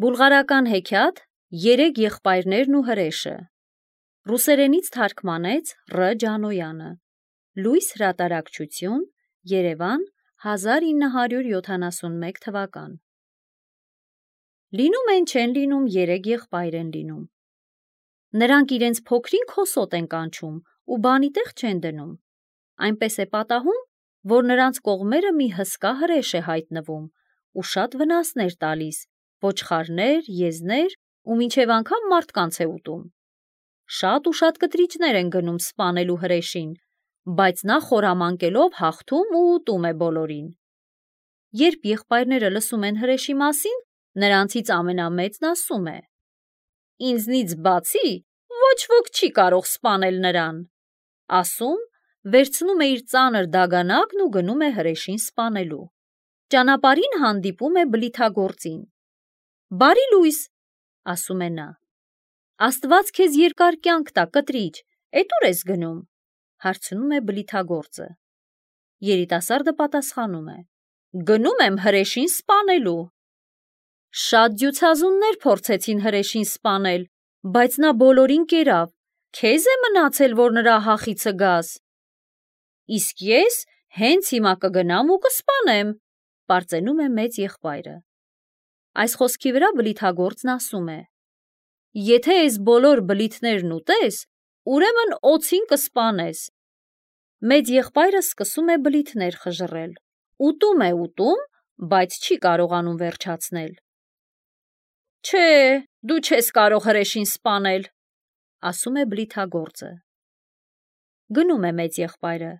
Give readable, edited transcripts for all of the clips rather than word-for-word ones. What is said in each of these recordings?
Բուլղարական հեքիաթ «Երեք եղբայրներն ու հրեշը» Ռուսերենից թարգմանեց Ռ. Ջանոյանը Լույս հրատարակչություն Երևան 1971 թվական Լինում են չեն լինում երեք եղբայր են լինում Նրանք իրենց փոքրին հոսոտ են կանչում ու բանի տեղ չեն դնում Այնպես է պատահում, որ նրանց կողմերը մի հսկա հրեշ է հայտնվում ու շատ վնասներ տալիս ոչխարներ, եզներ ու մինչև անգամ մարդկանց է ուտում Շատ ու շատ կտրիճներ են գնում սպանելու հրեշին, բայց նա խորամանկելով հաղթում ու ուտում է բոլորին Երբ եղբայրները լսում են հրեշի մասին, նրանցից ամենամեծն ասում է Ինձնից բացի ոչ ոք չի կարող սպանել նրան Ասում, վերցնում է իր ծանր դագանակն ու գնում է հրեշին սպանելու Ճանապարհին հանդիպում է բլիթագործին Բարի լույս, ասում է նա Աստված քեզ երկար կյանք տա, կտրիճ, էդ ուր ես գնում, հարցնում է բլիթագործը Երիտասարդը պատասխանում է Գնում եմ հրեշին սպանելու Շատ ջութազուններ փորձեցին հրեշին սպանել, բայց նա բոլորին կերավ, քեզ է մնացել, որ նրա հախիցը գաս Իսկ ես հենց հիմա կգնամ ու կսպանեմ, պարծենում է մեծ եղբայրը Այս խոսքի վրա բլիթագործն ասում է Եթե այս բոլոր բլիթներն ուտես, ուրեմն օձին կսպանես Մեծ եղբայրը սկսում է բլիթներ խժռել Ուտում է ուտում, բայց չի կարողանում վերջացնել Չէ, դու չես կարող հրեշին սպանել, ասում է բլիթագործը Գնում է մեծ եղբայրը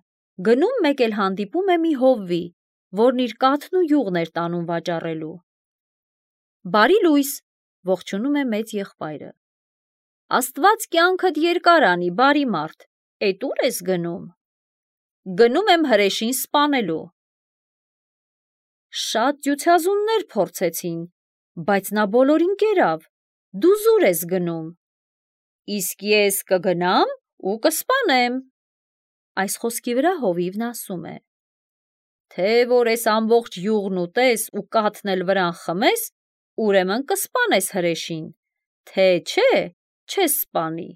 Գնում մեկ էլ հանդիպում է մի հովվի, որն իր կաթն ու յուղն էր տանում վաճառելու Բարի լույս, ողջունում է մեծ եղբայրը Աստված կյանքդ երկար անի, բարի մարդ, էդ ուր ես գնում Գնում եմ հրեշին սպանելու Շատ ջութազուններ փորձեցին, բայց նա բոլորին կերավ, դու զուր ես գնում Իսկ ես կգնամ ու կսպանեմ Այս խոսքի վրա հովիվն ասում է Թե որ ես ամբողջ յուղն ուտես ու կաթն էլ վրան խմես, ուրեմն կսպանես հրեշին, թե չէ, չես սպանի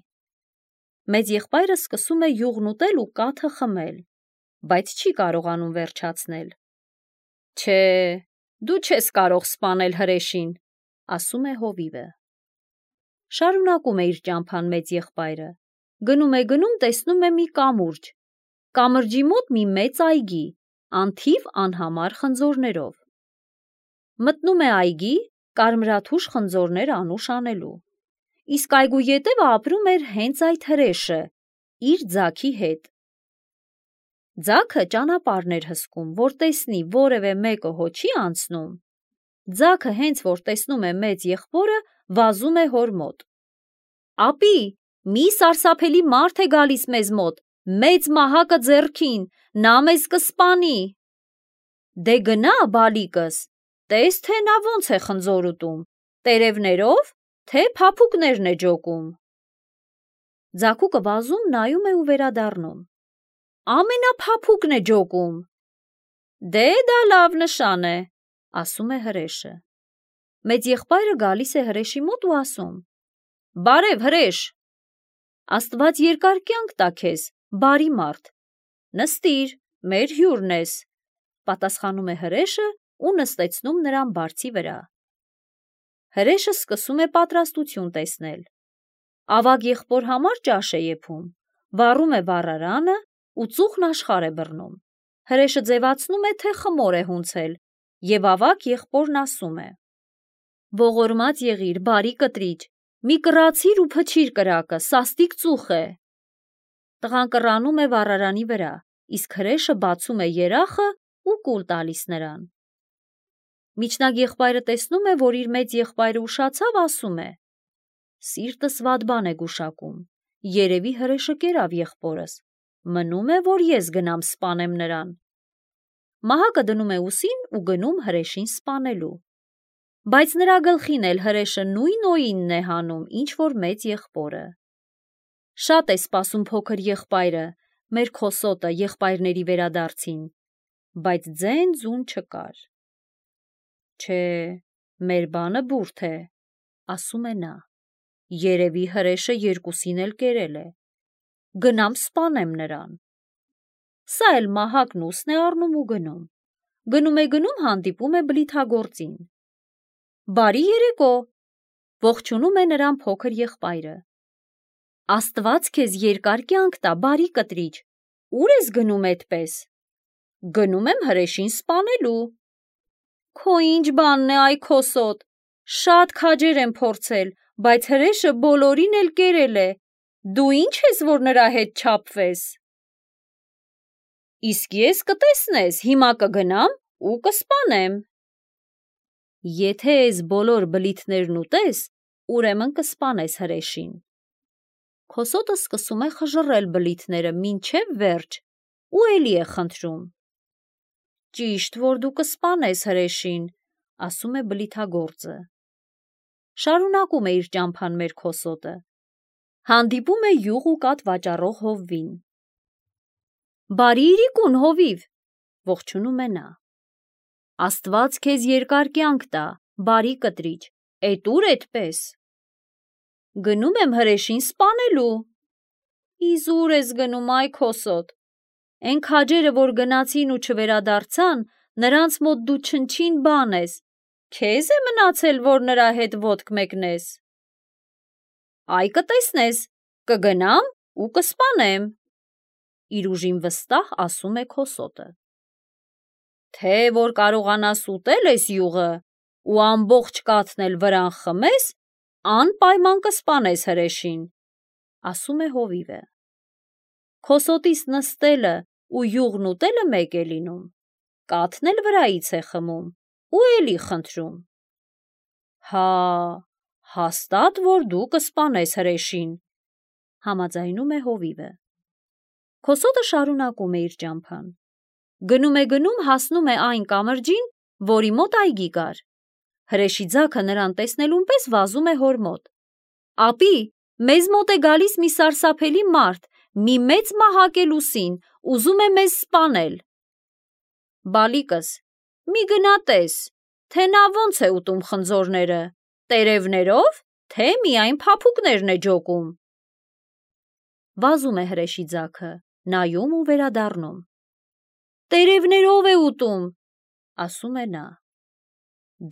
Մեծ եղբայրը սկսում է յուղն ուտել ու կաթը խմել, բայց չի կարողանում վերջացնել Չէ, դու չես կարող սպանել հրեշին, ասում է հովիվը Շարունակում է իր ճամփան մեծ եղբայրը Գնում, տեսնում է մի կամուրջ Կամրջի մոտ մի մեծ այգի, անթիվ անհամար խնձորներով Մտնում է այգի, կարմրաթուշ խնձորներ անուշ անելու Իսկ այգու ետևը ապրում էր հենց այդ հրեշը, իր ձագի հետ Ձագը ճանապարհն էր հսկում, որ տեսնի որևէ մեկը հո չի անցնում Ձագը հենց որ տեսնում է մեծ եղբորը, վազում է հոր մոտ Ապի, մի սարսափելի մարդ է գալիս մեզ մոտ, մեծ մահակը ձեռքին, նա մեզ կսպանի Դե գնա, բալիկս, տես թե նա ոնց է խնձոր ուտում, տերևներով, թե փափուկներն է ջոկում Ձագուկը վազում նայում է ու վերադառնում Ամենափափուկն է ջոկում Դե դա լավ նշան է, ասում է հրեշը Մեծ եղբայրը գալիս է հրեշի մոտ ու ասում Բարև հրեշ Աստված երկար կյանք տա քեզ, բարի մարդ Նստիր, մեր հյուրն ես, պատասխանում է հրեշը ու նստեցնում նրան բարձի վրա Հրեշը սկսում է պատրաստություն տեսնել Ավագ եղբոր համար ճաշ է եփում, վառում է վառարանը ու ծուխն աշխարհ է բռնում Հրեշը ձևացնում է, թե խմոր է հունցել և ավագ եղբորն ասում է Ողորմած եղիր, բարի կտրիճ, մի կռացիր ու փչիր կրակը, սաստիկ ծուխ է Տղան կռանում է վառարանի վրա, իսկ հրեշը բացում է երախը ու կուլ տալիս նրան Միջնակ եղբայրը տեսնում է, որ իր մեծ եղբայրը ուշացավ, ասում է Սիրտս վատ բան է գուշակում, երևի հրեշը կերավ եղբորս, մնում է, որ ես գնամ սպանեմ նրան Մահակը դնում է ուսին ու գնում հրեշին սպանելու Բայց նրա գլխին էլ հրեշը նույն օինն է հանում, ինչ որ մեծ եղբորը Շատ է սպասում փոքր եղբայրը, մեր քոսոտը եղբայրների վերադարձին, բայց ձեն ձուն չկար Չէ, մեր բանը բուրդ է, ասում է նա, երևի հրեշը երկուսին էլ կերել է, գնամ սպանեմ նրան։ Սա էլ մահակն ուսն է առնում ու գնում։ Գնում հանդիպում է բլիթագործին։ Բարի երեկո, ողջունում է նրան փոքր եղբայրը։ Աստված քեզ երկար կյանք տա, բարի կտրիչ, ուր ես գնում էդպես։ Գնում եմ հրեշին սպանելու։ Քո ինչ բանն է, այ քոսոտ, շատ քաջեր եմ փորձել, բայց հրեշը բոլորին էլ կերել է, դու ինչ ես, որ նրա հետ չափվես։ Իսկ ես կտեսնես, հիմա կգնամ ու կսպանեմ։ Եթե ես բոլոր բլիթներն ուտես, ուրեմն կսպանես հրեշին։ Քոսոտը սկսում է խժռել բլիթները մինչև վերջ ու էլի է խնդրում։ Ճիշտ, որ դու կսպանես հրեշին, ասում է բլիթագործը։ Շարունակում է իր ճամփան մեր քոսոտը։ Հանդիպում է յուղ ու կաթ վաճառող հովվին։ Բարի իրիկուն, հովիվ, ողջունում է նա։ Աստված քեզ երկար կյանք տա, բարի կտրիչ, էդ ուր էդպես։ Գնում եմ հրեշին սպանելու։ Իզուր ես գնում, այ քոսոտ։ Էն քաջերը, որ գնացին ու չվերադարձան, նրանց մոտ դու չնչին բան ես, քեզ է մնացել, որ նրա հետ ոտք մեկնես։ Այ կտեսնես, կգնամ ու կսպանեմ, իր ուժին վստահ ասում է քոսոտը։ Թե որ կարողանաս ուտել ես յուղը ու ամբողջ կաթն էլ վրան խմես, անպայման կսպանես հրեշին, ասում է հովիվը։ Քոսոտիս նստելը ու յուղն ուտելը մեկ է լինում, կաթն էլ վրայից է խմում ու էլի խնդրում։ Հա, հաստատ, որ դու կսպանես հրեշին, համաձայնում է հովիվը։ Քոսոտը շարունակում է իր ճամփան։ Գնում հասնում է այն կամրջին, որի մոտ այգի կար։ Հրեշի ձագը նրան տեսնելուն պես վազում է հոր մոտ։ Ապի, մեզ մոտ է գալիս մի սարսափելի մարդ, մի մեծ մահակ է լուսին, ուզում է մեզ սպանել։ Բալիկս, մի գնա տես, թե նա ոնց է ուտում խնձորները, տերևներով, թե միայն փափուկներն է ջոկում։ Վազում է հրեշի ձագը, նայում ու վերադառնում։ Տերևներով է ուտում, ասում է նա։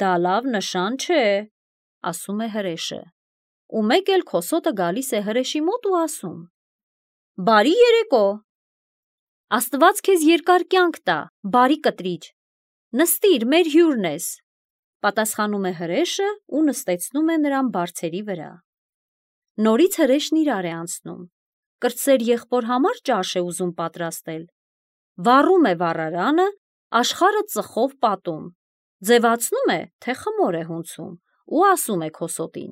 Դա լավ նշան չէ, ասում է հրեշը։ Ու մեկ էլ քոսոտը գալիս է հրեշի մոտ ու ասում. Բարի երեկո։ Աստված քեզ երկար կյանք տա, բարի կտրիչ։ Նստիր, մեր հյուրն ես, պատասխանում է հրեշը ու նստեցնում է նրան բարձերի վրա։ Նորից հրեշն իրար է անցնում։ Կրտսեր եղբոր համար ճաշ է ուզում պատրաստել։ Վառում է վառարանը, աշխարհը ծխով պատում, ձևացնում է, թե խմոր է հունցում ու ասում է քոսոտին.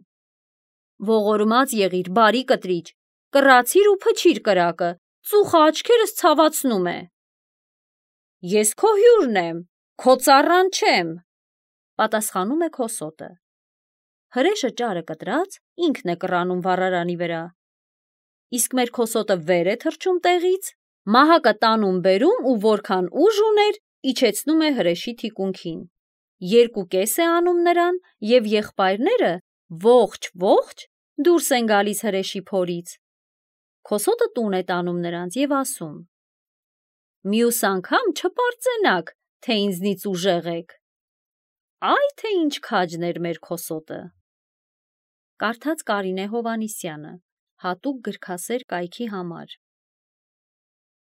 Ողորմած եղիր, բարի կտրիչ, կռացիր ու փչիր կրակը, ծուխը աչքերս ցավացնում է։ Ես քո հյուրն եմ, քո ծառան չեմ, պատասխանում է քոսոտը։ Հրեշը ճարը կտրած ինքն է կռանում վառարանի վրա։ Իսկ մեր քոսոտը վեր է թռչում տեղից, մահակը տանում բերում ու որքան ուժ ուներ, իջեցնում է հրեշի թիկունքին։ Երկու կես է անում նրան և եղբայրները ողջ դուրս են գալիս հրեշի փորից։ Քոսոտը տուն է տանում նրանց և ասում. Մյուս անգամ չպարծենաք, թե ինձնից ուժեղ եք։ Այ թե ինչ քաջն էր մեր քոսոտը։ Կարդաց Կարինե Հովհաննիսյանը, հատուկ գրքասեր կայքի համար։